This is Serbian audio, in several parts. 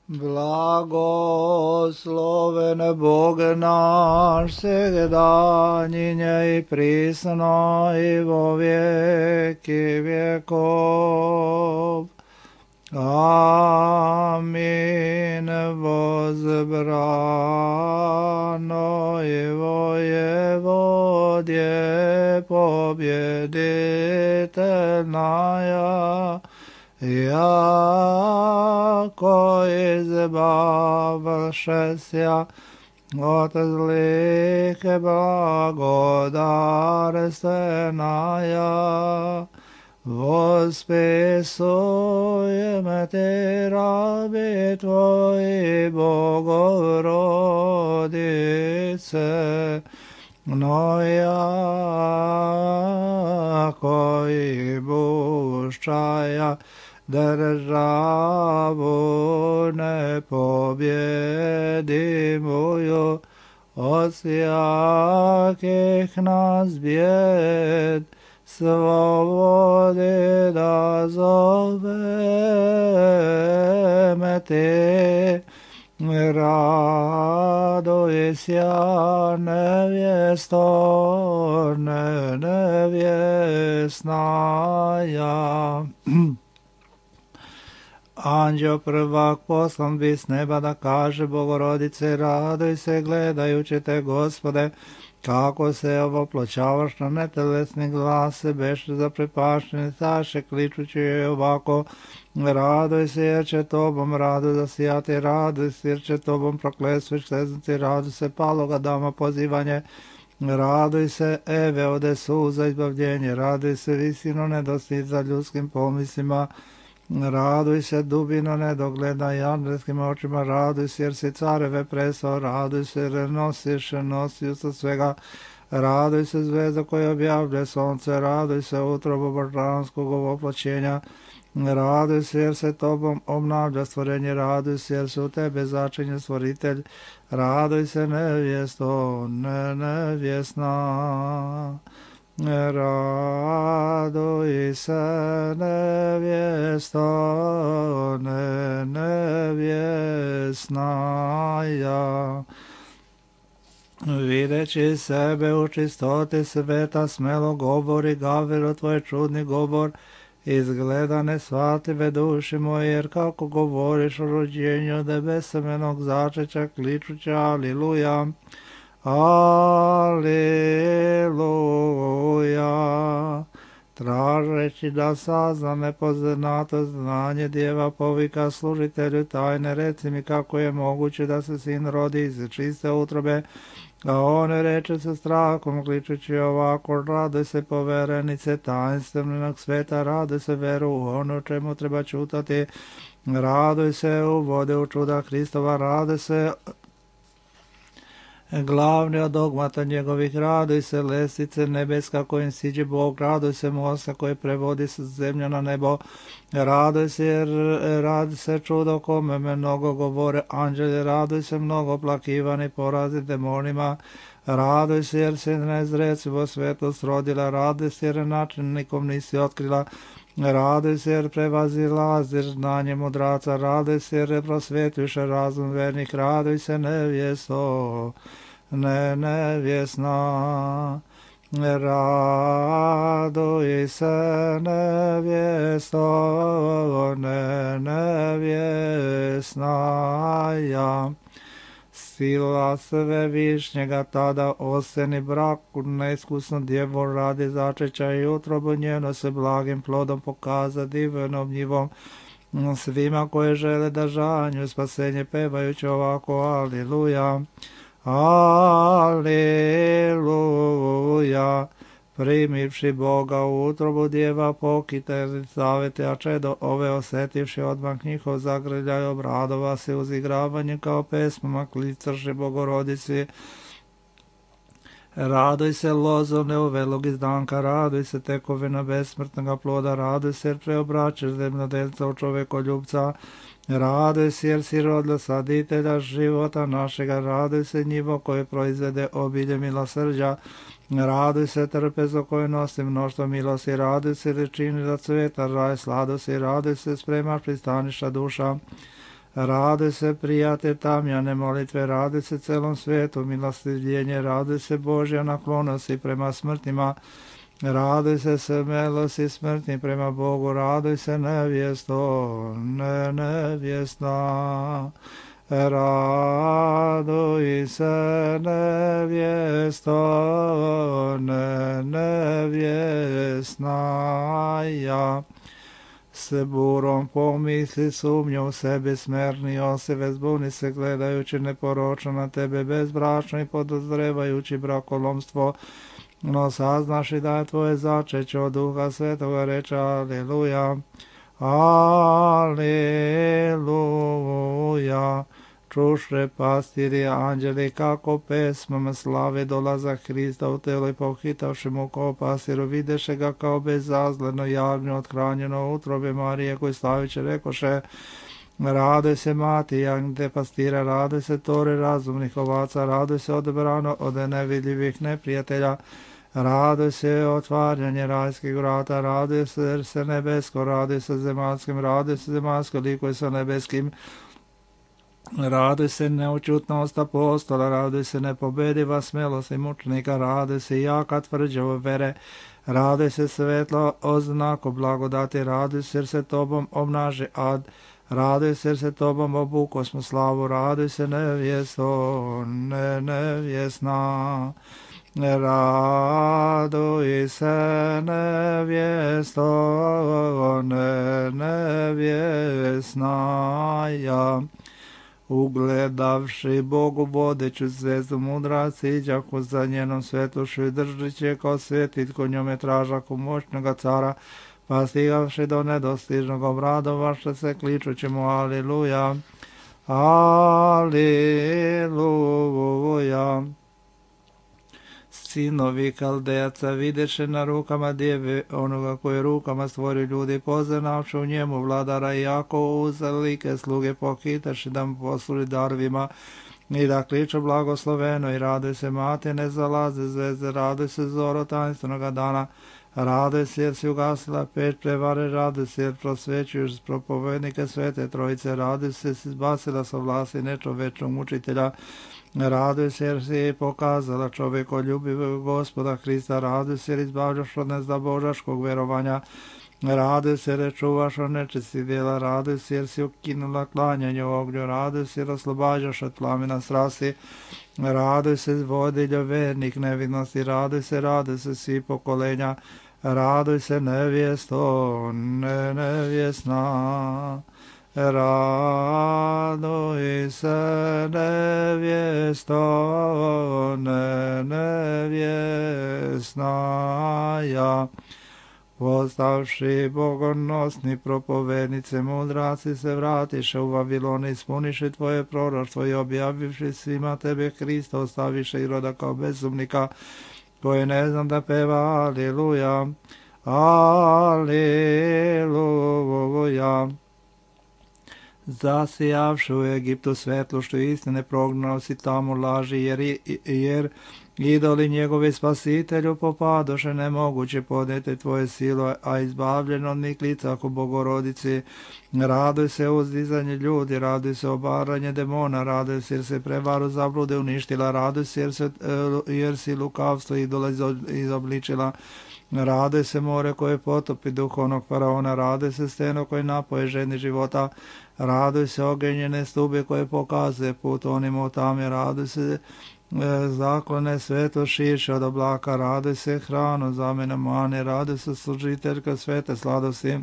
Blagosloven Bog naš, всегда, i присно, и во веки веков. Амин. Возбрано и воеводие победительная, яко избавшеся от злых благодарственная, восписуем Те, раби Твои, Богородице, но яко и бущая державу непобедимую от всяких нас бед, свободы дозовем Те. Радуйся, невесто невестная. Anđeo prvak poslan bi s neba da kaže Bogorodice, raduj se gledajući te, Gospode, kako se ovoploćavaš na netelesni glas, se beše zaprepašteni staše, kličući je ovako, raduj se jer će tobom radu zasijati, raduj se jer će tobom proklesveć seznati, raduj se paloga dama pozivanje, raduj se Eve ode suza izbavljenje, raduj se visino nedostić za ljudskim pomislima, raduj se dubino nedogleda i andelskim očima, raduj se jer si careve presao, raduj se jer nosiš nosioca svega, raduj se zvezda koja objavlja sonce, raduj se utrobu božanskog ovoploćenja, raduj se jer se tobom obnavlja stvorenje, raduj se jer se u tebe začinje stvoritelj, raduj se nevjesto nevjesna. Raduj se nevjesto nevjesnaja. Videći sebe u čistoti sveta, smelo govori Gavrilu tvoj čudni govor, izgleda nesvatljive duši moje, jer kako govoriš o rođenju debesemenog začeća, kličuća aliluja. Aleluja. Tražeći da sazna nepoznato znanje, djeva povika služitelju tajne, reci mi kako je moguće da se sin rodi iz čiste utrobe, a on reče sa strahom, kličući ovako, raduj se poverenice tajnstvenog sveta, raduj se veru u ono čemu treba čutati, raduj se u vode u čuda Hristova, raduj se glavni od dogmata njegovih, raduj se lestice nebeska kojim siđe Bog, raduj se mosta koji prevodi sa zemlja na nebo, raduj se jer radi se čudo kome mnogo govore anđeli, raduj se mnogo plakivani porazi demonima, raduj se jer se nezrecivo svetlost rodila, raduj se jer način nikom nisi otkrila, raduj se jer prevazilaziš znanje mudraca, raduj se jer prosvjetuješ razum vernih, raduj se nevjesto nevjesna. Raduj se nevjesto nevjesnaja. Sila svevišnjega tada oseni braku neiskusno djevo radi začeća i utrobu njeno se blagim plodom pokaza divnom njivom svima koje žele da žanju spasenje pevajući ovako aliluja, aliluja. Primivši Boga u utrobu djeva pokite zavete, a čedo ove osetivši odmah njihov zagrljaj obradova se uz igravanje kao pesmama klicrši Bogorodici. Raduj se lozo neuvelog izdanka, raduj se tekovina besmrtnoga ploda, raduj se jer preobraćaš zemljodelca u čovekoljubca, raduj se jer si rodila saditelja života našega, raduj se njivo koje proizvede obilje milosrđa, raduj se trpezo koje nosi mnoštvo milosti, raduj se jer čini da cveta raj sladosti, raduj se spremaš pristaništa duša, Raduj se, prijatelj tamjane molitve, raduj se celom svijetu, milostivljenje, raduj se Božja naklonosti prema smrtima, raduj se smelosti smrtni prema Bogu, raduj se nevjesto, nevjesna. Raduj se nevjesto, nevjesna ja. Se burom pomisli sumnju u sebi smerni osive, zbuni se gledajući neporočno na tebe bezbračno i podozrevajući brakolomstvo, no saznaš i da je tvoje začeće od Duha Svetoga, reče aleluja, aleluja. Čušre pastiri anđeli kako pesmama slave dolazak Hrista u telo i pohitavši mu kao pastiru, videše ga kao bezazleno javno othranjeno utrobe Marije, koji slaviće rekoše, raduj se mati jagnjete pastira, raduj se tore razumnih ovaca, raduj se odebrano od nevidljivih neprijatelja, raduj se otvaranje rajskih vrata, raduj se nebesko, raduj se zemaljskim, raduj se zemaljsko likuj sa nebeskim, raduj se neučutnost apostola, raduj se nepobediva smelost i mučnika, raduj se jaka tvrđava vere, raduj se svetlo oznako blagodati, raduj se jer se tobom obnaži ad, raduj se jer se tobom obuko smo slavu, raduj se nevjesto, nevjesna. Raduj se nevjesto, nevjesna ja. Ugledavši Bogu vodeću zvezdu mudraci, iđahu za njenom svetlošću i držeći je kao svjetitko njome tražaku moćnoga cara, pa stigavši do nedostižnog obradovaše se kličući mu aleluja, aleluja. Sinovi Kaldejaca videše na rukama djeve onoga koje rukama stvori ljudi, poznavši u njemu vladara i jako uzalike sluge pohitaši da mu posluži darovima i da kliču blagosloveno i raduj se mati ne zalaze zvezde, raduj se zoro tajnstvenog dana, raduj se jer si ugasila peć prevare, raduj se jer prosvećuješ propovednike svete trojice, raduj se jer si izbacila sa vlasti nečovečnog mučitelja, raduj se jer si pokazala čovjekoljubivog Gospoda Hrista, raduj se jer izbavljaš od nezda božaškog verovanja, raduj se jer čuvaš od nečistih djela, raduj se jer si ukinula klanjanje u ognju, raduj se jer oslobađaš od plamena strasti, raduj se vodiljo vernik nevidnosti, raduj se svi pokolenja, raduj se nevjesto, nevjesna. Raduj se nevjesto, nevjesna ja. Postavši bogonosni propovednice mudraci se vratiše u Vavilon, ispuniše tvoje proroštvo i objavivši svima tebe Hrista, ostaviše Iroda kao bezumnika, koji ne znam da peva aleluja, aleluja. Zasijavši u Egiptu svetlošću istine, prognao si tamo laži, jer idoli njegovi spasitelju popadoše, nemoguće podnijeti tvoje silo, a izbavljeno od njih lica ako Bogorodici. Raduj se uzdizanje ljudi, raduj se obaranje demona, raduj se jer se prevaru zablude uništila, raduj se jer si lukavstvo idola izobličila, raduj se more koje potopi duhovnog faraona, raduj se steno koje napoje ženi života, raduj se ogenjene stube koje pokazuje put onima u tami, raduj se zaklone sveto šiše od oblaka, raduj se hranu zamena mane, raduj se služiteljka svete sladosti,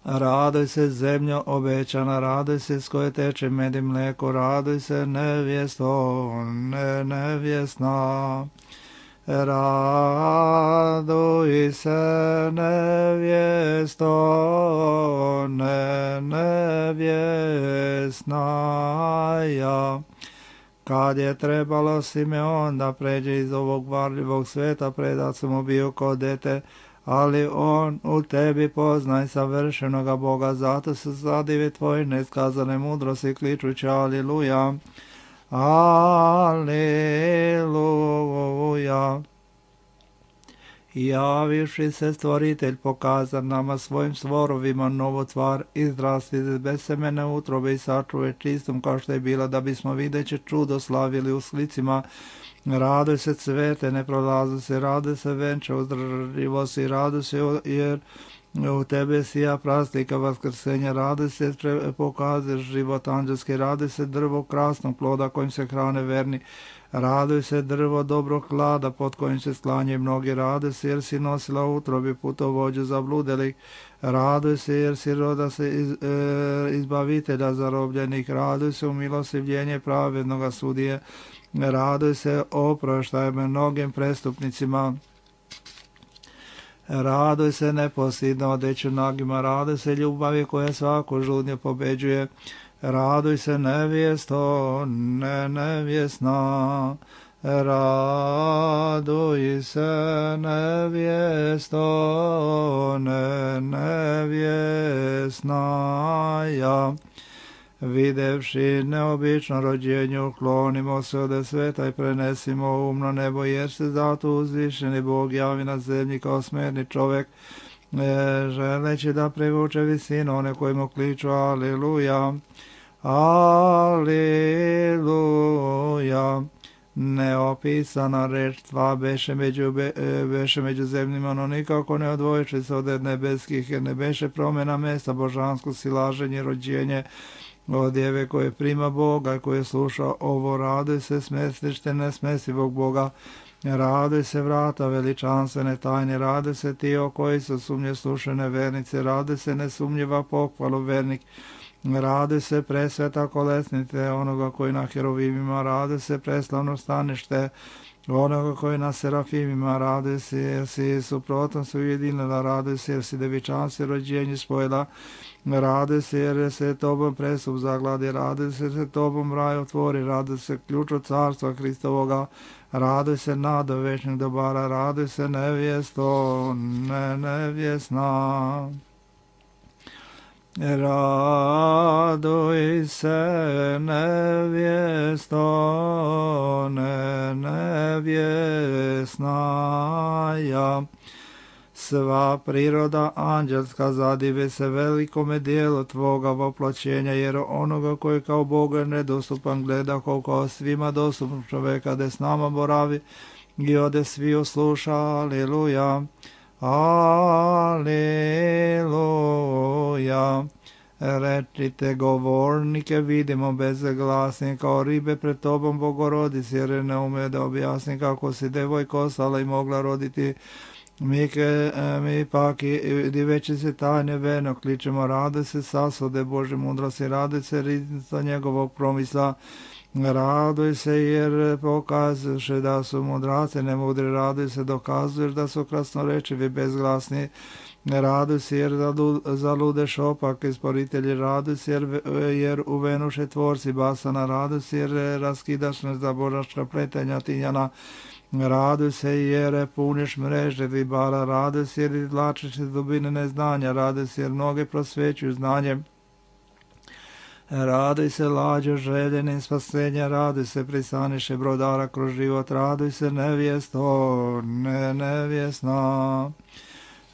raduj se zemljo obećana, raduj se s koje teče med i mleko, raduj se nevjesto, nevjesna. Raduj se nevjesto, nevjesna ja. Kad je trebalo Simeon da pređe iz ovog varljivog sveta, predat su mu bio kao dete, ali on u tebi poznaj savršenoga Boga, zato se zadive tvoje neskazane mudrosti, kličući aleluja, aleluja. Javivši se stvoritelj pokaza nama svojim stvorovima novotvar, izrasti iz besemene utrobe i sačuve čistom kao što je bila, da bismo videće čudo slavili u slicima. Radoj se cvete, ne prolazu se, radoj se venče, uzdrživo si, radoj se jer u tebe sija prastika vaskrsenja, radoj se pokazuješ život anđelski, radoj se drvo krasnog ploda kojim se hrane verni, radoj se drvo dobrog hlada pod kojim se sklanjaju mnogi, radoj se jer si nosila utrobi putovođu zabludelih, radoj se jer si roda se izbavitelja zarobljenih, radoj se u milostivljenje pravednoga sudije, radoj se oproštaj mnogim prestupnicima, radoj se neposljedno odeću nagima, radoj se ljubavi koja svaku žudnju pobeđuje, radoj se nevjesto, nevjesna, raduj se nevjesto, nevjesna, ja. Videvši neobično rođenje, uklonimo se od sveta i prenesimo umno nebo, jer se zato uzvišeni Bog javi na zemlji kao smerni čovjek, želeći da privuče visinu one koji mu kliču aleluja, aleluja. Neopisana reč tva beše među zemljima, no nikako ne odvojiši se od nebeskih, jer ne beše promjena mesta božansko silaženje, rođenje od djeve koje prima Boga i koje sluša ovo, radoj se smestište nesmesivog Boga, radoj se vrata veličanstvene tajne, radoj se ti o koji su sumnje slušene vernice, radoj se nesumnjiva pohvalu vernik, radoj se presveta kolesnice onoga koji na herovimima, radoj se preslavno stanište onoga koji na serafimima, radoj se jer si suprotno se ujedinila, radoj se jer si devičanstvo rođenje spojila, radoj se jer se tobom presup zagladi, radoj se jer se tobom raj otvori, radoj se ključ od carstva Hristovoga, radoj se nada večnih dobara, radoj se nevjesto, nevjesna. Raduj se nevjesto, nevjesna, ja. Sva priroda anđelska zadive se velikome dijelu tvoga voplaćenja, jer onoga koji kao Boga nedostupan gleda kao svima dostupno čoveka, da s nama boravi i ode svi usluša, aleluja. Aleluja. Rečite govornike, vidimo bezglasni kao ribe pred tobom Bogorodici, jer ne ume da objasni kako si devojka ostala i mogla roditi. Mi pak diveći se tajne veno kličemo, rade se sasvode Bože mudrosti, rade se riznica njegovog promisla, raduj se jer pokazuješ da su mudraci nemudri, raduj se dokazuješ da su krasnorečivi bezglasni, raduj se jer zaludeš opak isporitelji, raduj se jer uvenuše tvorci basana, raduj se jer raskidaš nezaboraška pletenja tinjana, raduj se jer puniš mreže ribara, raduj se jer izvlačiš iz dubine neznanja, raduj se jer mnoge prosvećuju znanjem, raduj se lađo željenim spasenja, raduj se prisaniše brodara kroz život, raduj se nevjesto, nevjesna.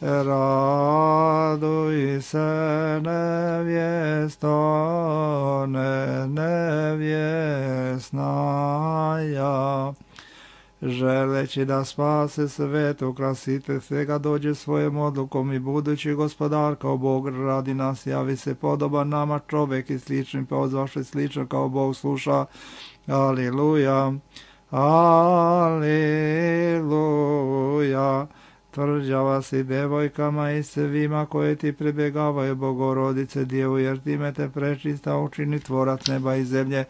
Raduj se nevjesto, nevjesna, ja. Želeći da spase svetu, krasite svega dođe svojom odlukom i budući gospodar kao Bog radi nas, javi se podoban nama čovjek i slični pozvaše slično kao Bog sluša. Aleluja, aleluja. Tvrđava si devojkama i svima koje ti pribjegavaju Bogorodice Djevu, jer time te prečista učini tvorac neba i zemlje.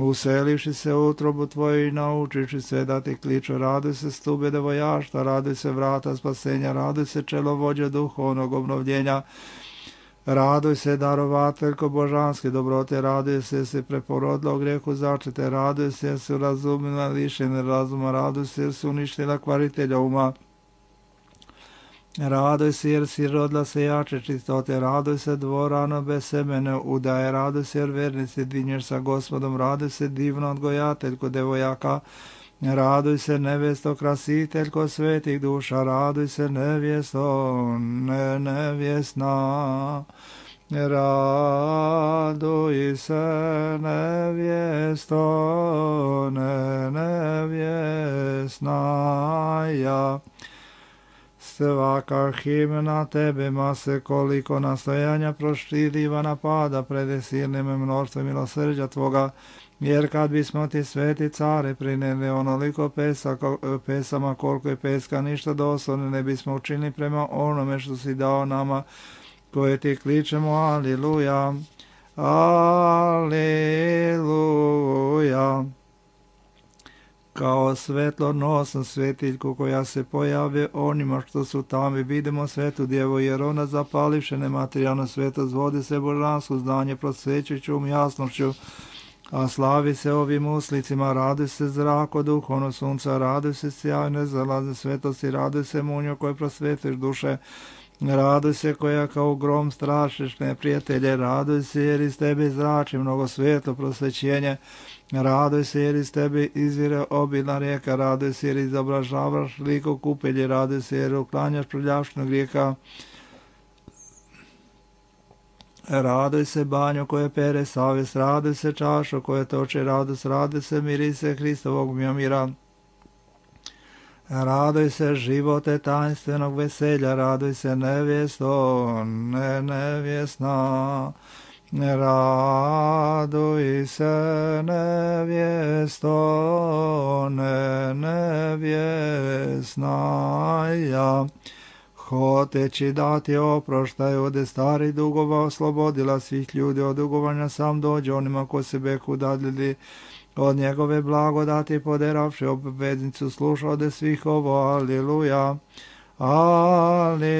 Uselivši se u utrobu tvoju i naučiši se da ti kliču, raduj se stube devojaštva, raduj se vrata spasenja, raduj se čelovođa duhovnog obnovljenja, raduj se darovateljko božanske dobrote, raduj se preporodila u grijehu začete, raduj se jer si razumila lišene razuma, raduj se jer si uništila kvaritelja uma, raduj se jer si rodila se jače čistote, raduj se dvorano bez semene udaje, raduj se jer vernici dinješ sa Gospodom, raduj se divno odgojateljko devojaka, Raduj se nevjesto krasiteljko svetih duša, raduj se nevjesto nevjesna. Raduj se nevjesto nevjesna. Svaka himna tebema se koliko nastojanja proštiriva napada pred silnim mnoštvom milosrđa tvoga, jer kad bismo ti sveti care prineli onoliko pesama koliko je peska ništa doslovno ne bismo učinili prema onome što si dao nama koje ti kličemo aliluja, aliluja. Kao svetlonosna svetiljku koja se pojave onima što su tamo i vidimo svetu djevu, jer ona zapalivše nematerijalno svetost vodi se božansko znanje prosvećujućom jasnošću, a slavi se ovim uslicima, raduj se zrako duhovno sunca, raduj se sjajne zalaze svetosti, raduj se munjo koje prosvetiš duše, raduj se koja kao grom strašiš neprijatelje, raduj se jer iz tebe zrači mnogo svetlo prosvećenje, raduj se jer iz tebe izvire obilna rijeka, raduj se jer izobražavaš liko kupelje, raduj se jer uklanjaš prljavštinu grijeha, raduj se banjo koje pere savjest, raduj se čašo koje toče radost, raduj se mirise Hristovog mira, raduj se živote tajnstvenog veselja, raduj se nevjesto nevjesna, raduj se nevjesto nevjesna. Hoteći dati oproštaj od starih dugova oslobodila svih ljudi od dugovanja, sam dođe onima ko se beku dadljili od njegove blagodati poderavši obveznicu sluša ode svih ovo, aliluja, aliluja.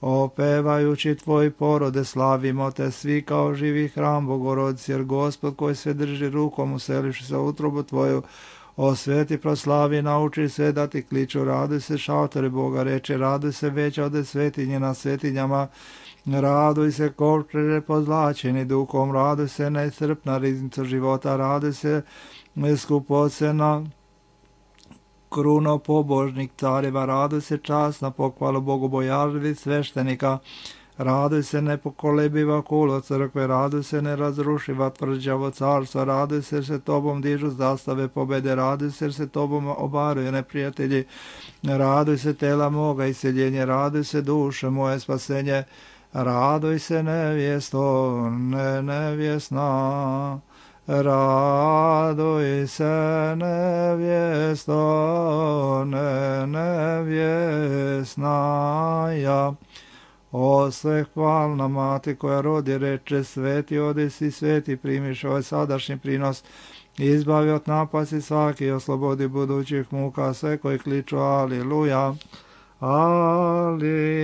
Opevajući tvoj porode slavimo te svi kao živi hram Bogorodice, jer Gospod koji sve drži rukom useliši se utrobu tvoju, osveti proslavi, nauči sve da ti kliču, raduj se šaltore Boga reče, raduj se veća od svetinje na svetinjama, raduj se kovčeže pozlačeni duhom, raduj se neiscrpna riznica života, raduj se skupocena kruno pobožnik careva, raduj se časna pohvalu bogobojažljivih sveštenika, raduj se nepokolebiva kulo crkve, raduj se nerazrušiva tvrđavo carstva, raduj se tobom dižu zastave pobede, raduj se tobom obaruje neprijatelji, raduj se tela moga iseljenje, raduj se duše moje spasenje, raduj se nevjesto nevjesna, raduj se nevjesto nevjesna. O sve hvalna mati koja rodi reče, sveti odesi, sveti primiš ovaj sadašnji prinos, izbavi od napasti svaki i oslobodi budućih muka sve koji kliču aliluja, aliluja.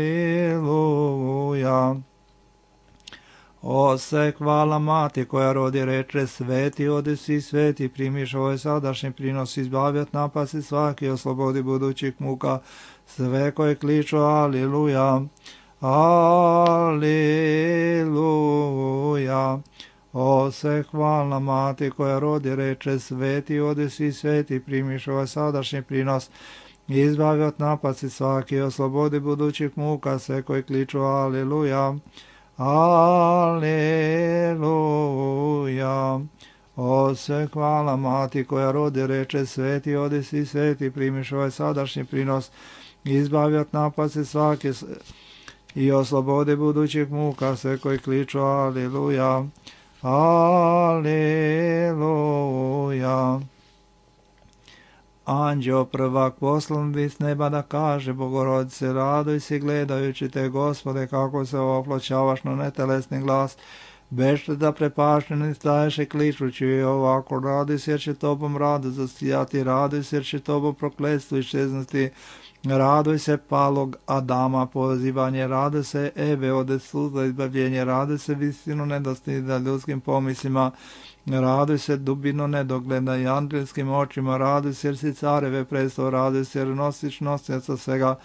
O sve hvala mati koja rodi reče, sveti odesi, sveti primiš ovaj sadašnji prinos, izbavi od napasti svaki i oslobodi budućih muka sve koji kliču aliluja, aliluja. O sve hvalna mati koja rodi reče, sveti odesi, sveti primiš ovaj sadašnji prinos, izbavi od napasti svaki i oslobodi budućih muka sve koji kliču aliluja, aliluja. O sve hvala mati koja rodi reče, sveti odesi, sveti primiš ovaj sadašnji prinos, izbavi od napasti svaki i oslobodi budućih muka sve koji kliču aliluja, aliluja. Anđeo prvak poslan bi s neba da kaže Bogorodice, raduj se gledajući te Gospode kako se oploćavaš na netelesni glas, bešte da prepašteni staješ i kličući i ovako, raduj se jer će tobom rado zasijati, raduj se jer će tobom prokletstvo iščeznuti, raduj se palog Adama pozivanje, raduj se Eve ode suza izbavljenje, raduj se visinu nedostida ljudskim pomislima, raduj se dubino nedogleda i angelskim očima, raduj se jer si careve prestao, raduj se jer nosiš nosioca svega,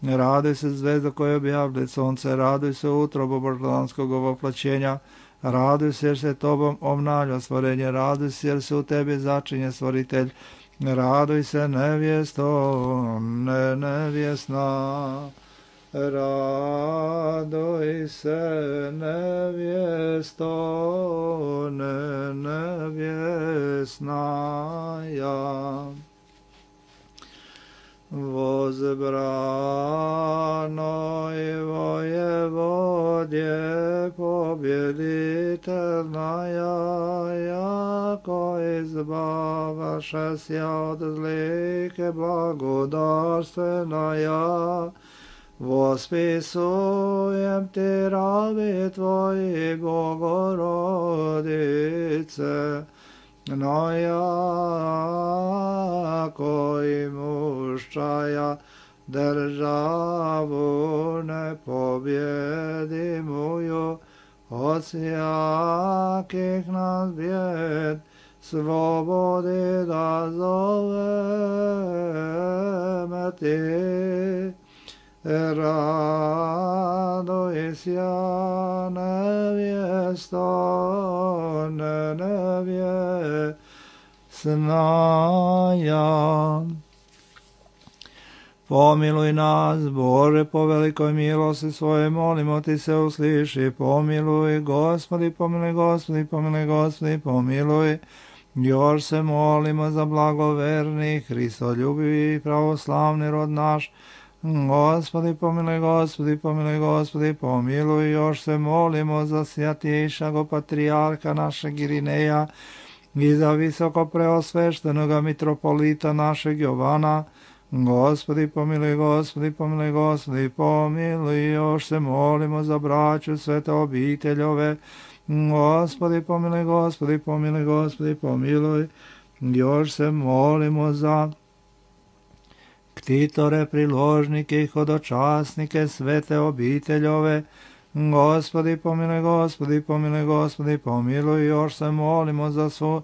raduj se zvezdo koje objavlja sunce, raduj se utrobo božanskog ovoplaćenja, Raduj se jer se tobom obnavlja stvorenje, raduj se jer se u tebi začinje stvoritelj. Raduj se nevjesto, nevjesna. Raduj se nevjesto, nevjesnaja. Возбранoj воеводje победительная, яко избаваше ся от злых благодарственная, восписуем ти раби твои, Богородице, но яко имущая державу непобедимую от всяких нас бед, свободы да зовем ти. Радуйся, невесто, невесная. Pomiluj nas, Bože, po velikoj milosti svoje, molimo ti se, usliši, pomiluj, Gospodi, pomiluj, Gospodi, pomiluj, Gospodi, pomiluj. Još se molimo za blagoverni, Hristoljubivi, pravoslavni rod naš, Gospodi, pomiluj, Gospodi, pomiluj, Gospodi, pomiluj. Još se molimo za svjatjejšago patrijarha našeg Irineja i za visoko preosveštenoga mitropolita našeg Jovana. Gospodi, pomiluj, Gospodi, pomiluj, Gospodi, pomiluj. Još se molimo za braću svete obiteljove. Gospodi, pomiluj, Gospodi, pomiluj, Gospodi, pomiluj. Još se molimo za ktitore, priložnike i hodočasnike svete obiteljove. Gospodi, pomiluj, Gospodi, pomiluj, Gospodi, pomiluj. Još se molimo za svu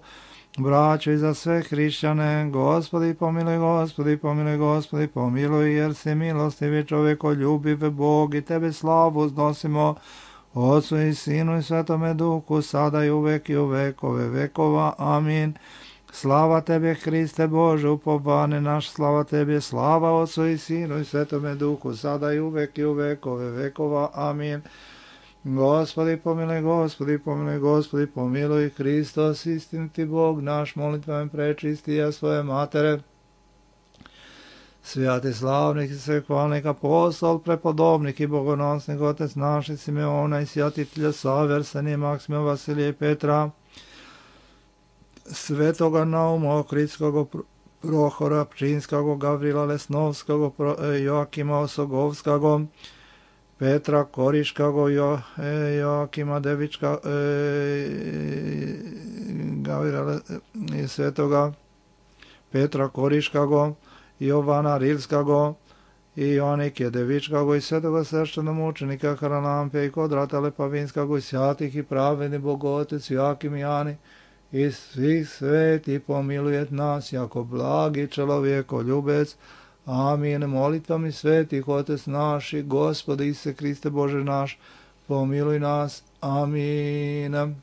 braću i za sve hrišćane. Gospodi, pomiluj, Gospodi, pomiluj, Gospodi, pomiluj, jer si milostivi, čovekoljubiv Bog, i tebe slavu uznosimo, Otcu i Sinu i Svetome Duhu, sada i uvek i u vekove vekova. Amin. Slava tebe, Hriste Bože, upovane naš, slava tebe, slava Otcu i Sinu i Svetome Duhu, sada i uvek i u vekove vekova. Amin. Gospodi, pomiluj, Gospodi, pomiluj, Gospodi, pomiluj. Hristos, istiniti Bog naš, molitvama prečistija svoje matere, svijati slavnih i svehvalnih apostol, prepodobnih i bogonosnih, Otec naših Simeona i sjatitelja Save, Arsenija, Maksimija, Vasilija i Petra, svetoga Nauma Ohridskog, Prohora Pčinskog, Gavrila Lesnovskog, Joakima Osogovskog, Petra Koriškog, Joakima Devička, Gavrila i svetoga Petra Koriškog, Jovana Rilskog i Joanike Devičkog i svetoga sveštenomučenika Haralampe i Kodrata Lepavinskog i sjatih i pravedni Bogotec Joakim Jani i svih sveti pomilujet nas jako blagi čelovjekoljubec. Amin. Molitvami svetih Otec naš i Gospode Isuse Hriste Bože naš, pomiluj nas. Amin.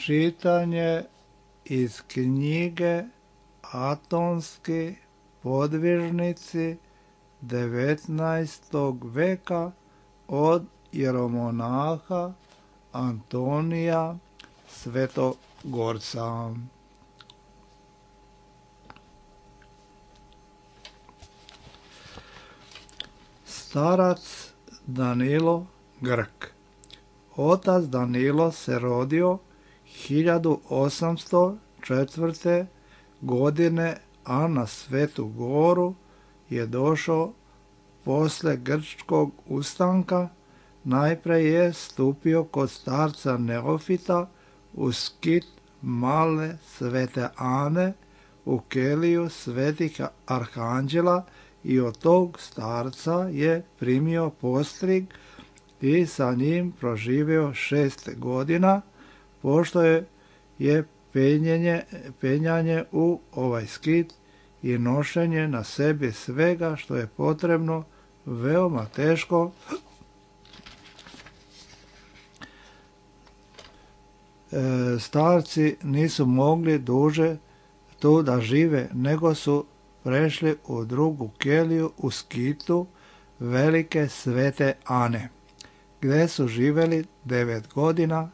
Čitanje iz knjige Atonski podvižnici 19. veka od jeromonaha Antonija Svetogorca. Starac Danilo Grk. Otac Danilo se rodio 1804. godine, a na Svetu Goru je došao posle grčkog ustanka. Najpre je stupio kod starca Neofita u skit male Svete Ane u keliju svetih arhanđela i od tog starca je primio postrig i sa njim proživio 6 godina, pošto je penjanje u ovaj skit i nošenje na sebi svega što je potrebno veoma teško. Starci nisu mogli duže tu da žive, nego su prešli u drugu keliju u skitu velike Svete Ane, gde su živeli 9 godina.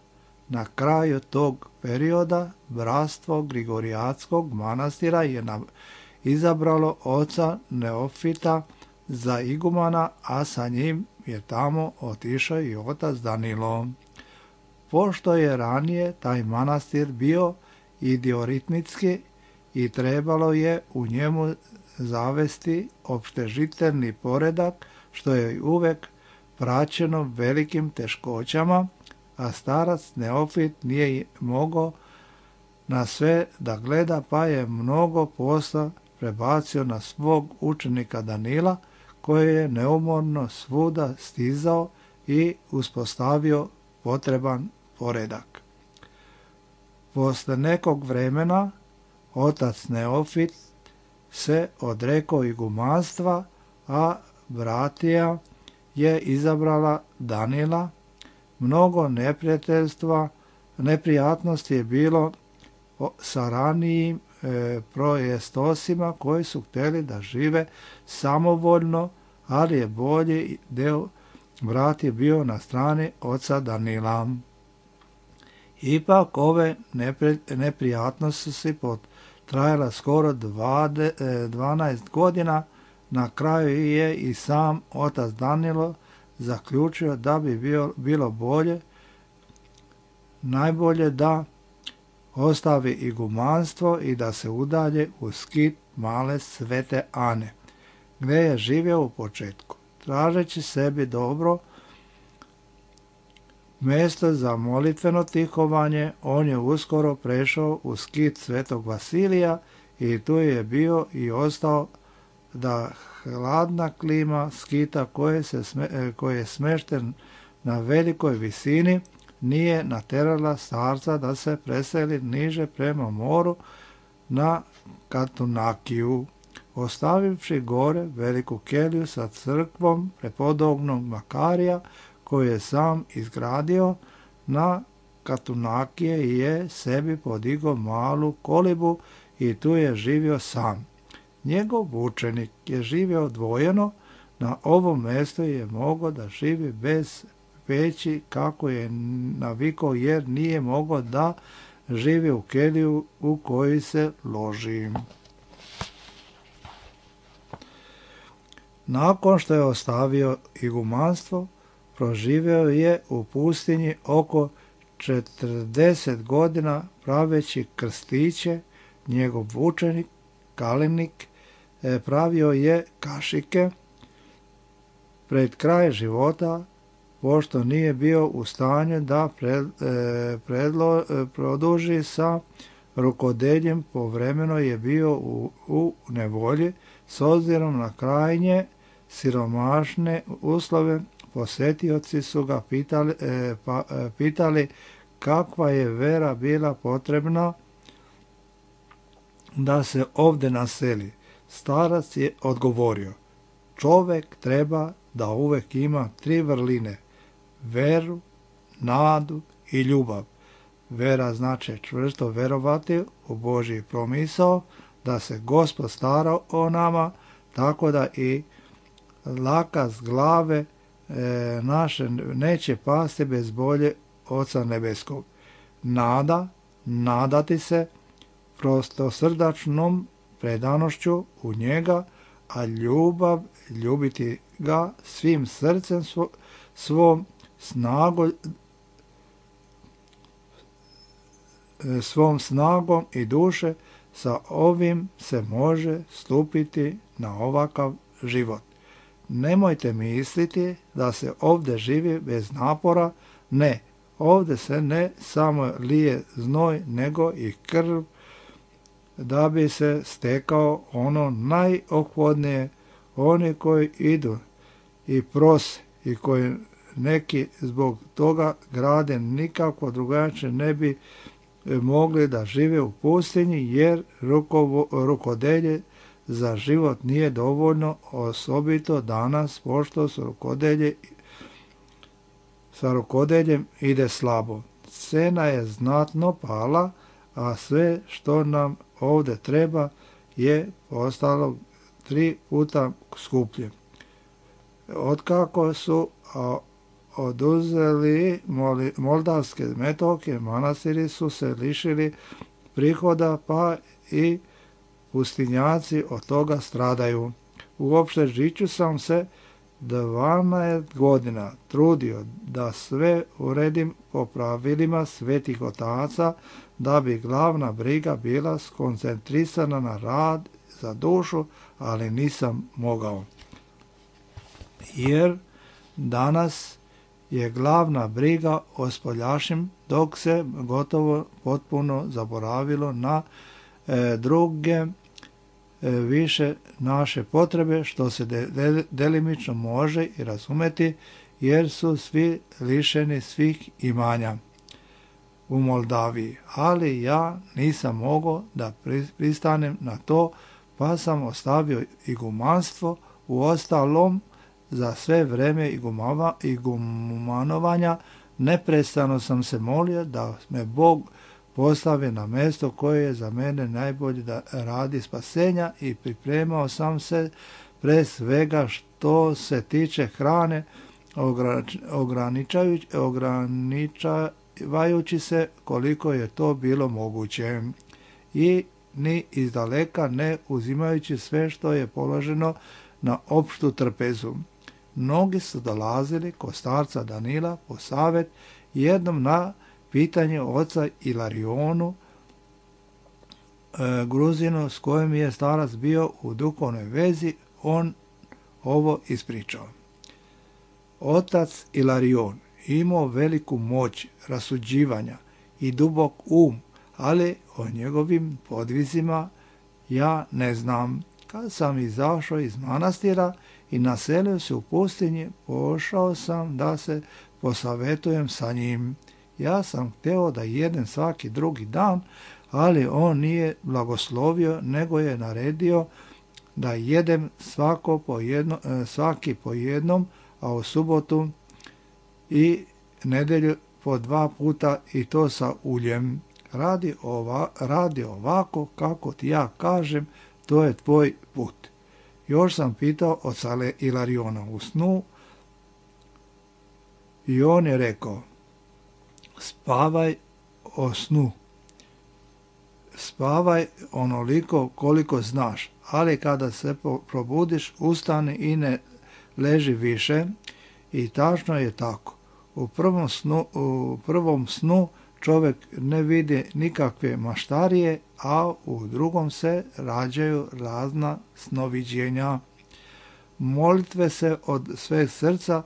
Na kraju tog perioda bratstvo Grigorijatskog manastira je izabralo oca Neofita za igumana, a sa njim je tamo otišao i otac Danilo. Pošto je ranije taj manastir bio idioritmitski i trebalo je u njemu zavesti opštežiteljni poredak, što je uvek praćeno velikim teškoćama, a starac Neofit nije mogao na sve da gleda, pa je mnogo posla prebacio na svog učenika Danila, koji je neumorno svuda stizao i uspostavio potreban poredak. Posle nekog vremena otac Neofit se odrekao igumanstva, a bratija je izabrala Danila. Mnogo neprijatnosti je bilo sa ranijim projestosima koji su htjeli da žive samovoljno, ali je bolji deo brat je bio na strani oca Danila. Ipak ove neprijatnosti su trajala skoro 12 godina. Na kraju je i sam otac Danilo zaključio da bi bilo najbolje da ostavi igumanstvo i da se udalje u skit male Svete Ane, gde je živio u početku. Tražeći sebi dobro mjesto za molitveno tihovanje, on je uskoro prešao u skit Svetog Vasilija i tu je bio i ostao, da hladna klima skita koji je smešten na velikoj visini nije naterala starca da se preseli niže prema moru na Katunakiju. Ostavivši gore veliku keliju sa crkvom prepodobnog Makarija, koju je sam izgradio, na Katunakije je sebi podigao malu kolibu i tu je živio sam. Njegov učenik je živio odvojeno. Na ovom mjestu je mogao da živi bez peći kako je navikao, jer nije mogao da živi u keliju u kojoj se loži. Nakon što je ostavio igumanstvo, proživio je u pustinji oko 40 godina praveći krstiće. Njegov učenik Kalinik pravio je kašike. Pred kraj života, pošto nije bio u stanju da produži sa rukodeljem, povremeno je bio u nevolji. S obzirom na krajnje siromašne uslove, posetioci su ga pitali kakva je vera bila potrebna da se ovdje naseli. Starac je odgovorio: čovek treba da uvek ima 3 vrline: veru, nadu i ljubav. Vera znači čvrsto verovati u Božji promisao, da se Gospod stara o nama, tako da i laka s glave naše neće pasti bez volje Oca Nebeskog. Nadati se prostosrdačnom predanošću u njega, a ljubiti ga svim srcem svom snagom i duše, sa ovim se može stupiti na ovakav život. Nemojte misliti da se ovdje živi bez napora, ne, ovdje se ne samo lije znoj, nego i krv, da bi se stekao ono najophodnije. Oni koji idu i prose i koji neki zbog toga grade nikako drugačije ne bi mogli da žive u pustinji, jer rukodelje za život nije dovoljno, osobito danas, pošto sa rukodeljem ide slabo. Cena je znatno pala, a sve što nam ovdje treba je postalo 3 puta skuplje. Otkako su oduzeli moldavske metoke, manastiri su se lišili prihoda, pa i pustinjaci od toga stradaju. Uopšte žiću sam se 12 godina trudio da sve uredim po pravilima svetih otaca, da bi glavna briga bila skoncentrisana na rad za dušu, ali nisam mogao. Jer danas je glavna briga o spoljašnjem, dok se gotovo potpuno zaboravilo na druge više naše potrebe, što se delimično može i razumeti, jer su svi lišeni svih imanja u Moldaviji. Ali ja nisam mogao da pristanem na to, pa sam ostavio igumanstvo. U ostalom, za sve vreme igumanovanja neprestano sam se molio da me Bog postavi na mjesto koje je za mene najbolje da radi spasenja, i pripremao sam se pre svega što se tiče hrane, ograničavajući se koliko je to bilo moguće i ni izdaleka ne uzimajući sve što je položeno na opštu trpezu. Mnogi su dolazili kod starca Danila po savjet, jednom na pitanje oca Ilarionu, Gruzinu s kojim je starac bio u duhovnoj vezi, on ovo ispričao. Otac Ilarion imao veliku moć rasuđivanja i dubok ali o njegovim podvizima ja ne znam. Kad sam izašao iz manastira i naselio se u pustinji, pošao sam da se posavetujem sa njim. Ja sam hteo da jedem svaki drugi dan, ali on nije blagoslovio, nego je naredio da jedem svaki po jednom, a u subotu i nedelju po 2 puta, i to sa uljem. Radi ovako kako ti ja kažem, to je tvoj put. Još sam pitao oca Ilariona u snu i on je rekao: spavaj o snu. Spavaj onoliko koliko znaš, ali kada se probudiš, ustani i ne leži više. I tačno je tako. U prvom snu čovjek ne vidi nikakve maštarije, a u drugom se rađaju razna snoviđenja. Molitve se od sveg srca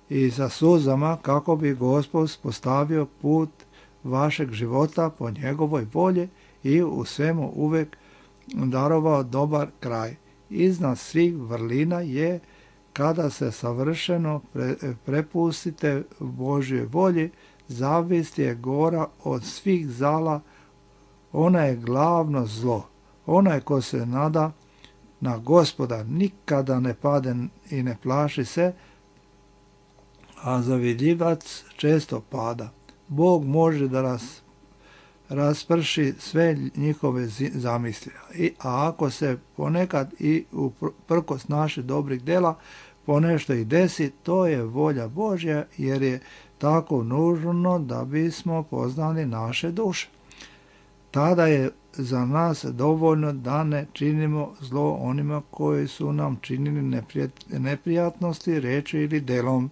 i sa suzama, kako bi Gospod postavio put vašeg života po njegovoj volji i u svemu uvijek darovao dobar kraj. Iznad svih vrlina je kada se savršeno prepustite Božjoj volji. Zavist je gora od svih zala, ona je glavno zlo. Onaj ko se nada na Gospoda nikada ne pade i ne plaši se, a zavidljivac često pada. Bog može da rasprši sve njihove zamisli. A ako se ponekad i uprkos naših dobrih dela ponešto i desi, to je volja Božja, jer je tako nužno da bismo poznali naše duše. Tada je za nas dovoljno da ne činimo zlo onima koji su nam činili neprijatnosti reči ili delom.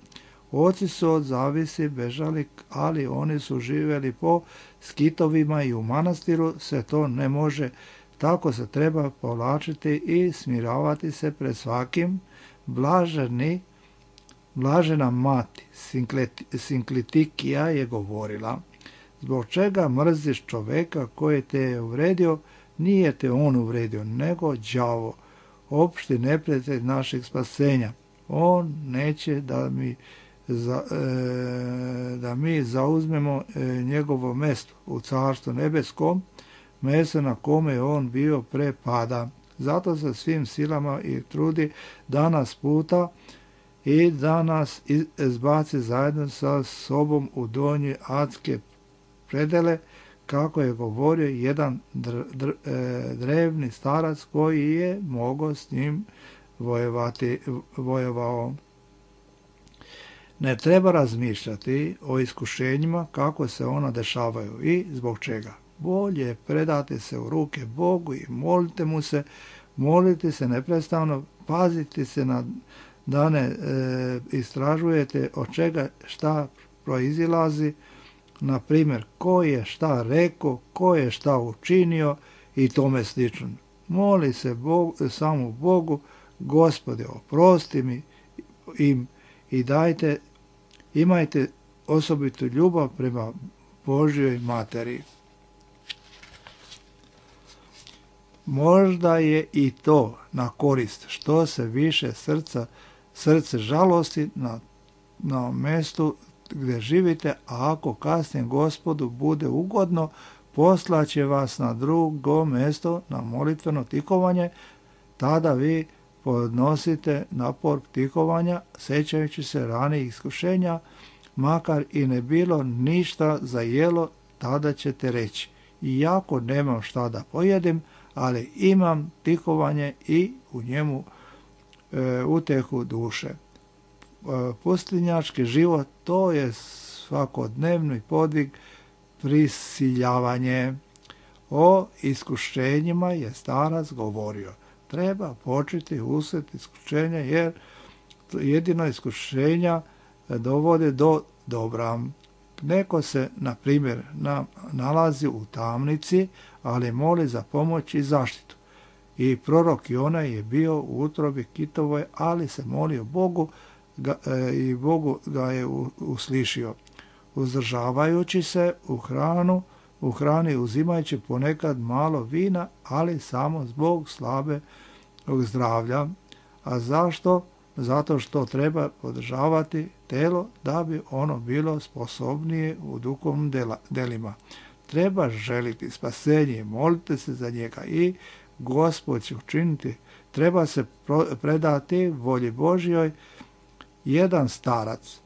Oci su od zavisi bežali, ali oni su živjeli po skitovima i u manastiru se to ne može. Tako se treba povlačiti i smiravati se pred svakim. Blažena mati Sinklitikija je govorila: zbog čega mrziš čoveka koji te je uvredio? Nije te on uvredio, nego đavo, opšti neprijatelj našeg spasenja. On neće da mi zauzmemo njegovo mesto u carstvu nebeskom, mesto na kome je on bio pre pada. Zato se svim silama i trudi da nas puta i da nas izbaci zajedno sa sobom u donje adske predele, kako je govorio jedan drevni starac koji je mogao s njim vojevao. Ne treba razmišljati o iskušenjima kako se ona dešavaju i zbog čega. Bolje predati se u ruke Bogu i molite se neprestano, pazite se da ne istražujete od čega šta proizilazi, na primjer ko je šta rekao, ko je šta učinio i tome slično. Moli se samo Bogu: Gospode, oprosti mi im i imajte osobitu ljubav prema Božjoj materi. Možda je i to na korist što se više srce žalosti na mestu gdje živite, a ako kasnije Gospodu bude ugodno, poslaće vas na drugo mesto na molitveno tikovanje. Tada vi podnosite napor tikovanja, sećajući se ranijih iskušenja, makar i ne bilo ništa za jelo, tada ćete reći: iako nemam šta da pojedim, ali imam tikovanje i u njemu utehu duše. Pustinjački život, to je svakodnevni podvig, prisiljavanje. O iskušenjima je starac govorio: treba početi usred iskušenja, jer jedino iskušenja dovode do dobra. Neko se, na primjer, nalazi u tamnici, ali moli za pomoć i zaštitu. I prorok Jona je bio u utrobi kitovoj, ali se molio Bogu i Bogu ga je uslišio. Uzdržavajući se u hrani uzimajući ponekad malo vina, ali samo zbog slabog zdravlja. A zašto? Zato što treba podržavati telo da bi ono bilo sposobnije u duhovnim delima. Treba želiti spasenje i moliti se za njega i Gospod će učiniti. Treba se predati volji Božjoj. Jedan starac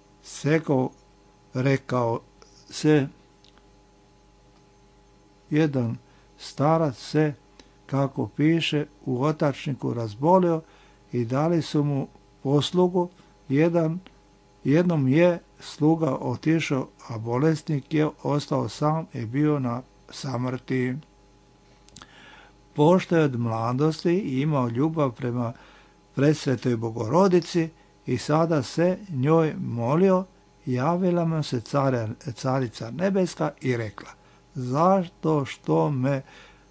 se, kako piše u otačniku, razbolio i dali su mu poslugu. Jednom je sluga otišao, a bolesnik je ostao sam i bio na samrti. Pošto je od mladosti imao ljubav prema presvetoj Bogorodici i sada se njoj molio, javila mu se carica nebeska i rekla: zašto što me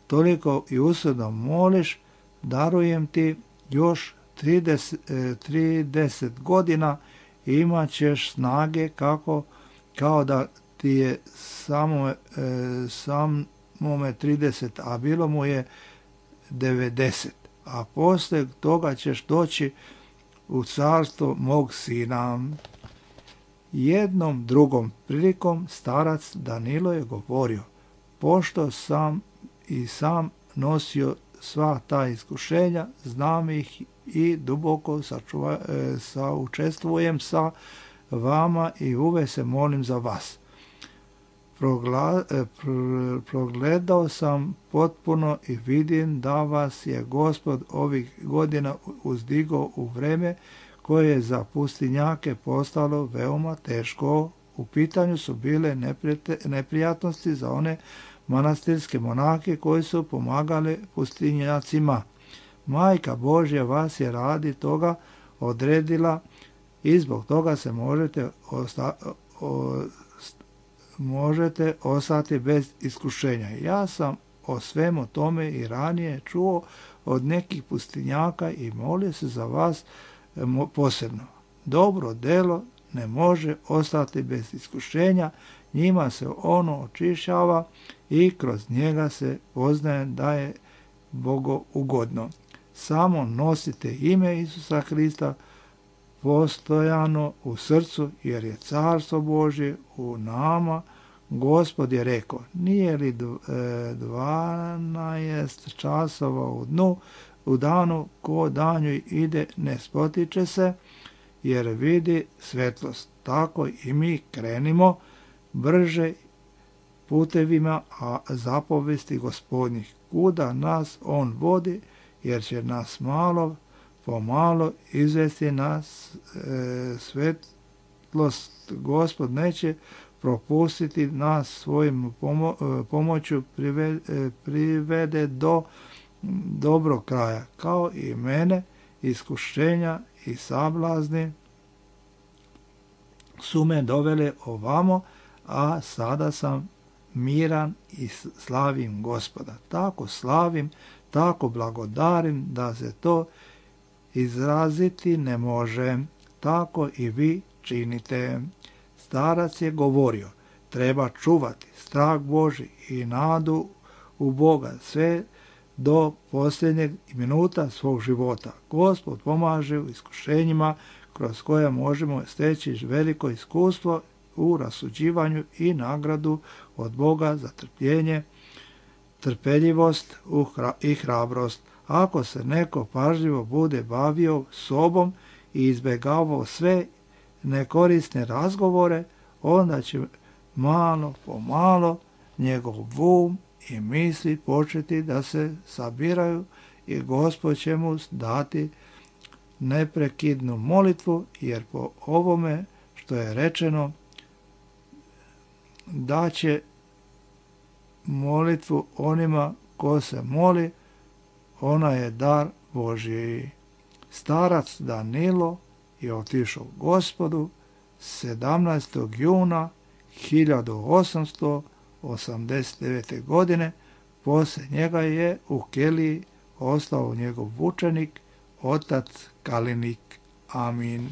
toliko i usudno moliš, darujem ti još 30 godina i imat ćeš snage kao da ti je samome 30, a bilo mu je 90. A poslije toga ćeš doći u carstvo mog sina. Jednom drugom prilikom starac Danilo je govorio: pošto sam nosio sva ta iskušenja, znam ih i duboko saučestvujem sa vama i uvek se molim za vas. Progledao sam potpuno i vidim da vas je Gospod ovih godina uzdigao u vreme koje je za pustinjake postalo veoma teško. U pitanju su bile neprijatnosti za one manastirske monake koji su pomagali pustinjacima. Majka Božja vas je radi toga odredila i zbog toga se možete ostati bez iskušenja. Ja sam o svemu tome i ranije čuo od nekih pustinjaka i molio se za vas posebno. Dobro delo ne može ostati bez iskušenja, njima se ono očišćava i kroz njega se poznaje da je bogougodno. Samo nosite ime Isusa Hrista postojano u srcu, jer je carstvo Božje u nama. Gospod je rekao, nije li 12 časova u danu, ko danju ide ne spotiče se, jer vidi svetlost. Tako i mi krenimo brže putevima zapovesti Gospodnjih. Kuda nas on vodi, jer će nas malo pomalo izvesti nas svetlost. Gospod neće propustiti nas svojim pomoću privede do dobrog kraja, kao i mene. Iskušenja i sablazni su me dovele ovamo, a sada sam miran i slavim Gospoda. Tako slavim, tako blagodarim da se to izraziti ne može. Tako i vi činite. Starac je govorio, treba čuvati strah Božji i nadu u Boga sve do posljednjeg minuta svog života. Gospod pomaže u iskušenjima kroz koje možemo steći veliko iskustvo u rasuđivanju i nagradu od Boga za trpljenje, trpeljivost i hrabrost. Ako se neko pažljivo bude bavio sobom i izbjegavao sve nekorisne razgovore, onda će malo po malo njegov um i misli početi da se sabiraju i Gospod će mu dati neprekidnu molitvu, jer po ovome što je rečeno da će molitvu onima ko se moli, ona je dar Božji. Starac Danilo je otišao Gospodu 17. juna 1889. godine. Poslije njega je u Keliji ostao njegov učenik, otac Kalinik. Amin.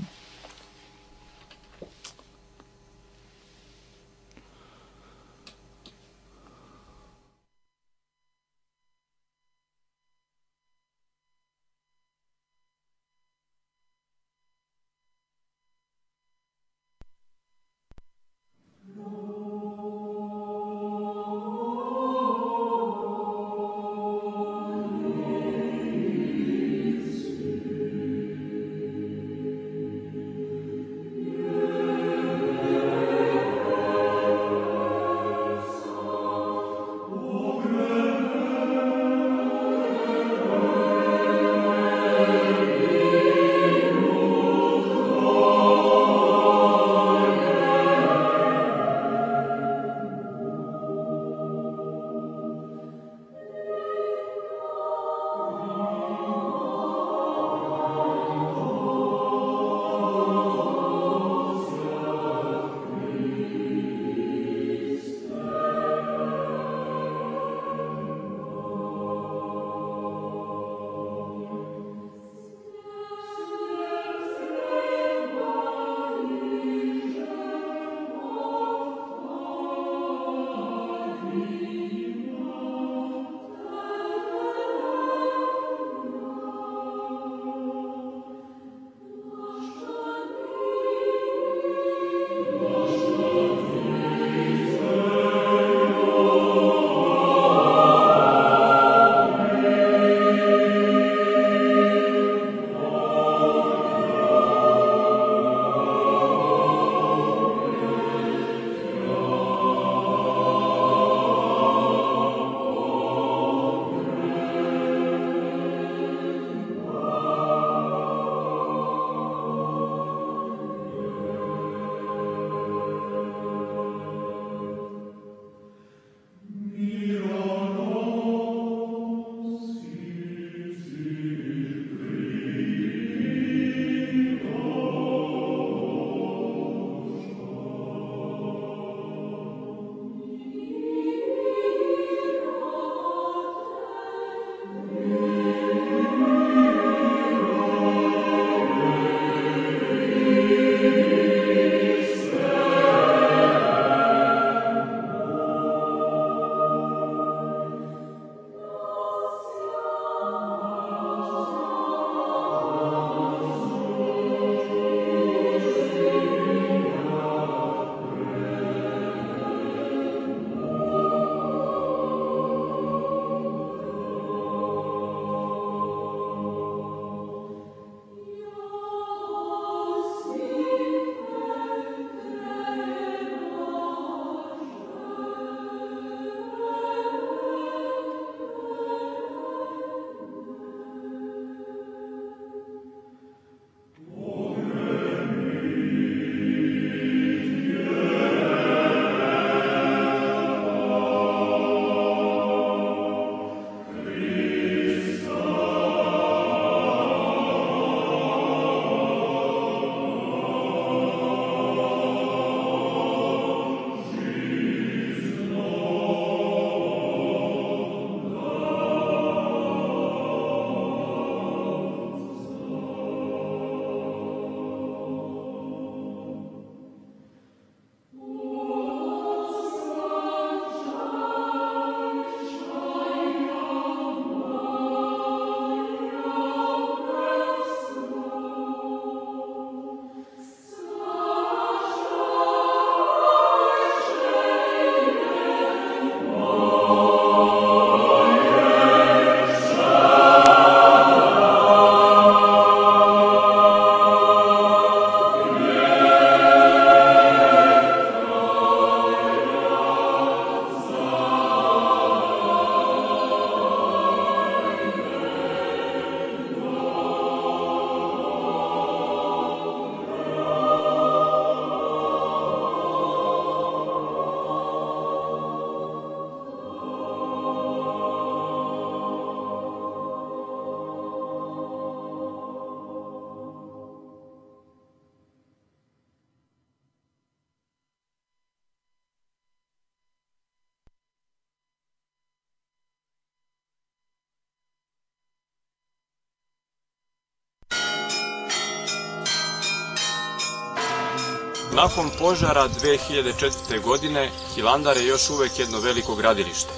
Nakon požara 2004. godine, Hilandar je još uvek jedno veliko gradilište.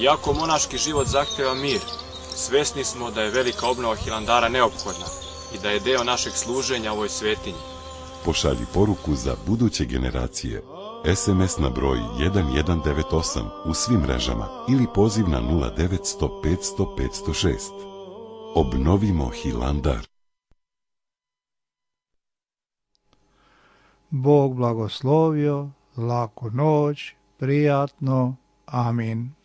Iako monaški život zahteva mir, svesni smo da je velika obnova Hilandara neophodna i da je deo našeg služenja ovoj svetinji. Pošalji poruku za buduće generacije. SMS na broj 1198 u svim mrežama ili poziv na 0900 500 506. Obnovimo Hilandar. Bog blagoslovio, laku noć, prijatno, amin.